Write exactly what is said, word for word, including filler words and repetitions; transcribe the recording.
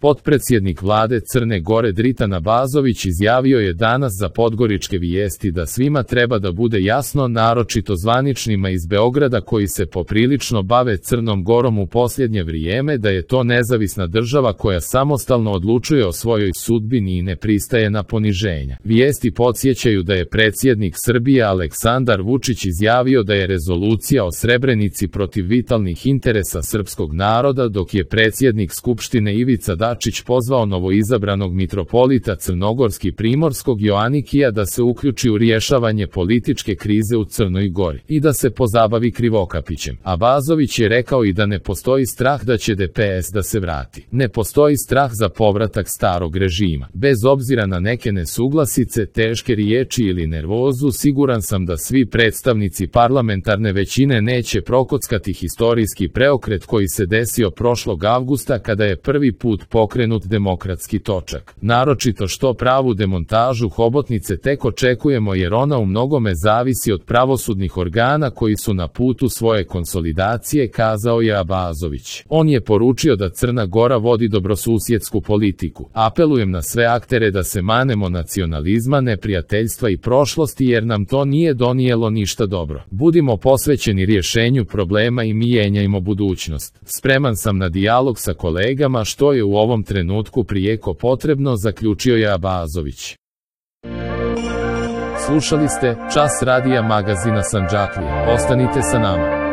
Potpredsjednik vlade Crne Gore Dritan Abazović izjavio je danas za Podgoričke vijesti da svima treba da bude jasno, naročito zvaničnima iz Beograda koji se poprilično bave Crnom Gorom u posljednje vrijeme, da je to nezavisna država koja samostalno odlučuje o svojoj sudbini i ne pristaje na poniženja. Vijesti podsjećaju da je predsjednik Srbije Aleksandar Vučić izjavio da je rezolucija o Srebrenici protiv vitalnih interesa srpskog naroda, dok je predsjednik Skupštine Ivica Dačić pozvao novoizabranog mitropolita Crnogorski Primorskog Joanikija da se uključi u rješavanje političke krize u Crnoj Gori i da se pozabavi Krivokapićem. Abazović je rekao i da ne postoji strah da će D P S da se vrati. Ne postoji strah za povratak starog režima. Bez obzira na neke nesuglasice, teške riječi ili nervozu, siguran sam da svi predstavnici parlamentarne većine neće prokockati historijski preokret koji se desio prošlog avgusta kada je prvi put pokrenut demokratski točak. Naročito što pravu demontažu hobotnice tek očekujemo jer ona u mnogome zavisi od pravosudnih organa koji su na putu svoje konsolidacije, kazao je Abazović. On je poručio da Crna Gora vodi dobrosusjedsku politiku. Apelujem na sve aktere da se manemo nacionalizma, neprijateljstva i prošlosti jer nam to nije donijelo ništa dobro. Budimo posvećeni rješenju problema i mijenjajmo budućnost. Spreman sam na dijalog sa kolegama što je u ovom trenutku prijeko potrebno, zaključio je Abazović. Slušali ste Čas radija magazina Sandžaklija. Ostanite sa nama.